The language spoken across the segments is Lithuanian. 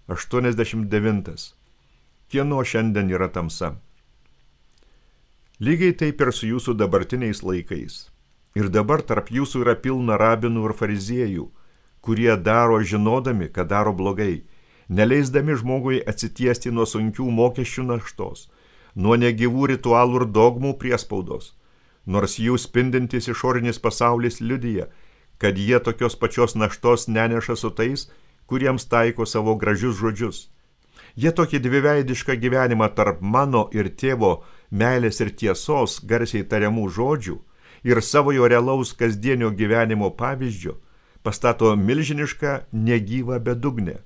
89. Kieno šiandien yra tamsa? Lygiai taip ir su jūsų dabartiniais laikais. Ir dabar tarp jūsų yra pilna rabinų ir fariziejų, kurie daro žinodami, kad daro blogai, neleisdami žmogui atsitiesti nuo sunkių mokesčių naštos, nuo negyvų ritualų ir dogmų priespaudos, nors jų spindintis išorinis pasaulis liudija, kad jie tokios pačios naštos neneša su tais, kuriems taiko savo gražius žodžius. Jie tokį dviveidišką gyvenimą tarp mano ir tėvo meilės ir tiesos garsiai tariamų žodžių ir savojo realaus kasdienio gyvenimo pavyzdžio pastato milžinišką negyvą bedugnę,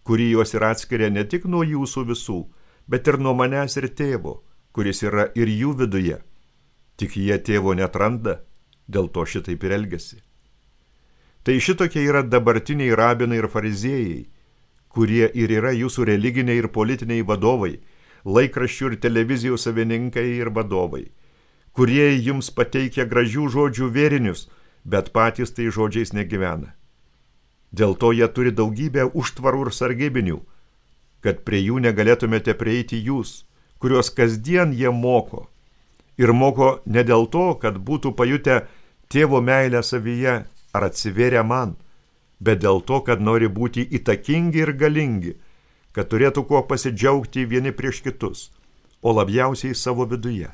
kuri juos ir atskiria ne tik nuo jūsų visų, bet ir nuo manęs ir tėvo, kuris yra ir jų viduje. Tik jie tėvo neatranda, dėl to šitaip ir elgiasi. Tai šitokie yra dabartiniai rabinai ir fariziejai, kurie ir yra jūsų religiniai ir politiniai vadovai, laikraščių ir televizijų savininkai ir vadovai, kurie jums pateikia gražių žodžių vėrinius, bet patys tai žodžiais negyvena. Dėl to jie turi daugybę užtvarų ir sargybinių, kad prie jų negalėtumėte prieiti jūs, kuriuos kasdien jie moko. Ir moko ne dėl to, kad būtų pajutę tėvo meilę savyje ar atsivėrę man, bet dėl to, kad nori būti įtakingi ir galingi, kad turėtų kuo pasidžiaugti vieni prieš kitus, o labiausiai savo viduje.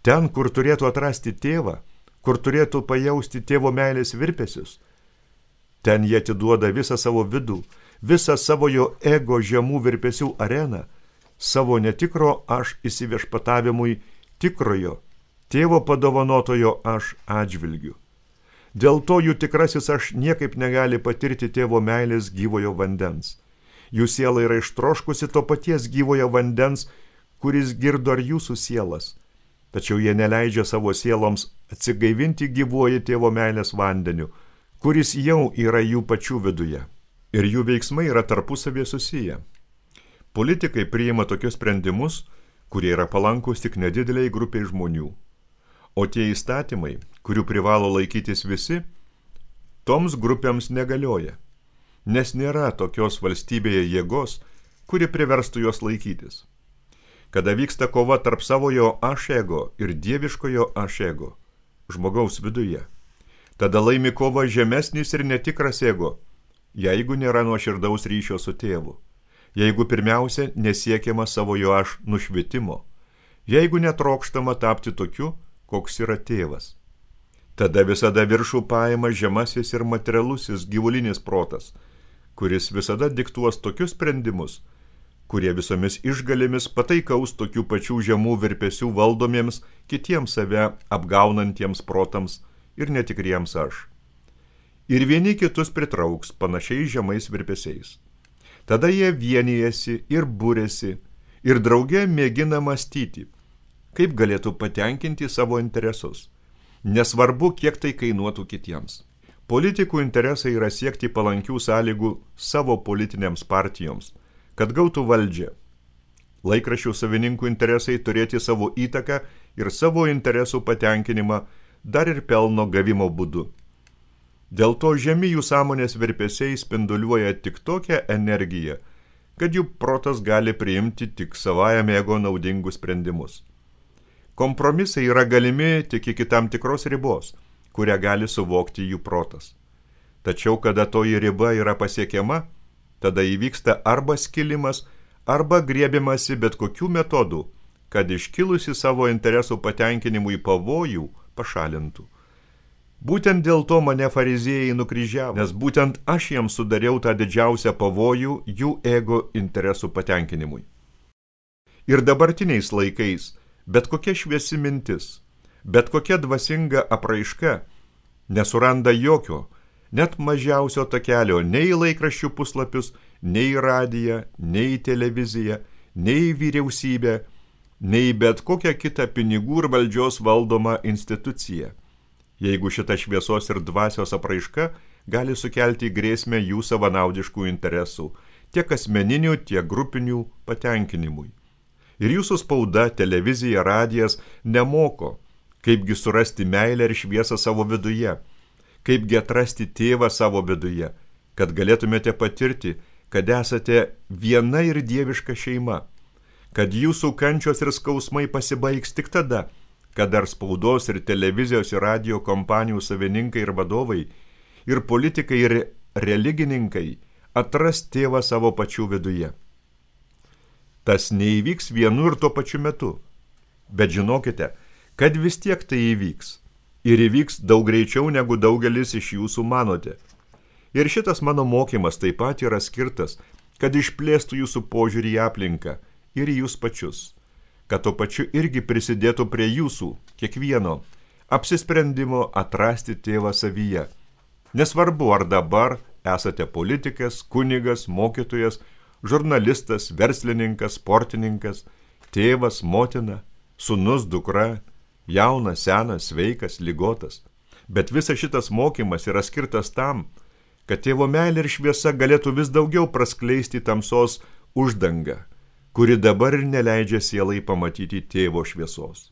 Ten, kur turėtų atrasti tėvą, kur turėtų pajausti tėvo meilės virpesius, ten jie atiduoda visą savo vidų, visą savo jo ego žemų virpesių areną, savo netikro aš įsiviešpatavimui tikrojo, tėvo padovanotojo aš atžvilgiu. Dėl to jų tikrasis aš niekaip negali patirti tėvo meilės gyvojo vandens. Jų siela yra ištroškusi to paties gyvojo vandens, kuris girdo ar jūsų sielas. Tačiau jie neleidžia savo sieloms atsigaivinti gyvuoju tėvo meilės vandeniu, kuris jau yra jų pačių viduje. Ir jų veiksmai yra tarpusavėje susiję. Politikai priima tokius sprendimus, kurie yra palankus tik nedideliai grupiai žmonių. O tie įstatymai, kurių privalo laikytis visi, toms grupėms negalioja, nes nėra tokios valstybėje jėgos, kuri priverstų jos laikytis. Kada vyksta kova tarp savojo aš ego ir dieviškojo aš ego, žmogaus viduje, tada laimi kova žemesnis ir netikras ego, jeigu nėra nuoširdaus ryšio su tėvu, jeigu pirmiausia nesiekiama savojo aš nušvitimo, jeigu netrokštama tapti tokiu, koks yra tėvas. Tada visada viršų paima žemasis ir materialusis gyvulinis protas, kuris visada diktuos tokius sprendimus, kurie visomis išgalėmis pataikaus tokių pačių žemų virpesių valdomiems kitiems save apgaunantiems protams ir netikriems aš. Ir vieni kitus pritrauks panašiai žemais virpesiais. Tada jie vienijasi ir būrėsi ir drauge mėgina mąstyti, kaip galėtų patenkinti savo interesus, nesvarbu, kiek tai kainuotų kitiems. Politikų interesai yra siekti palankių sąlygų savo politinėms partijoms, kad gautų valdžią. Laikraščių savininkų interesai turėti savo įtaką ir savo interesų patenkinimą dar ir pelno gavimo būdu. Dėl to žemi jų sąmonės virpesiai spinduliuoja tik tokią energiją, kad jų protas gali priimti tik savajam ego naudingus sprendimus. Kompromisai yra galimi tik iki tam tikros ribos, kurią gali suvokti jų protas. Tačiau, kada toji riba yra pasiekiama, tada įvyksta arba skilimas, arba griebimasi bet kokių metodų, kad iškilusi savo interesų patenkinimui pavojų pašalintų. Būtent dėl to mane fariziejai nukryžiavo, nes būtent aš jiems sudariau tą didžiausią pavojų jų ego interesų patenkinimui. Ir dabartiniais laikais bet kokia šviesi mintis, bet kokia dvasinga apraiška nesuranda jokio, net mažiausio takelio nei į laikraščių puslapius, nei į radiją, nei į televiziją, nei į vyriausybę, nei bet kokią kitą pinigų ir valdžios valdomą instituciją, jeigu šita šviesos ir dvasios apraiška gali sukelti grėsmę jų savanaudiškų interesų, tiek asmeninių, tiek grupinių patenkinimui. Ir jūsų spauda, televizija, radijas nemoko, kaipgi surasti meilę ir šviesą savo viduje, kaipgi atrasti tėvą savo viduje, kad galėtumėte patirti, kad esate viena ir dieviška šeima, kad jūsų kančios ir skausmai pasibaigs tik tada, kad dar spaudos ir televizijos ir radio kompanijų savininkai ir vadovai, ir politikai ir religininkai atras tėvą savo pačių viduje. Tas neįvyks vienu ir tuo pačiu metu, bet žinokite, kad vis tiek tai įvyks. Ir įvyks daug greičiau, negu daugelis iš jūsų manote. Ir šitas mano mokymas taip pat yra skirtas, kad išplėstų jūsų požiūrį į aplinką ir į jūs pačius, kad to pačiu irgi prisidėtų prie jūsų, kiekvieno, apsisprendimo atrasti tėvą savyje. Nesvarbu, ar dabar esate politikas, kunigas, mokytojas, žurnalistas, verslininkas, sportininkas, tėvas, motina, sūnus, dukra, jaunas, senas, sveikas, ligotas. Bet visas šitas mokymas yra skirtas tam, kad tėvo meilė ir šviesa galėtų vis daugiau praskleisti tamsos uždangą, kuri dabar ir neleidžia sielai pamatyti tėvo šviesos.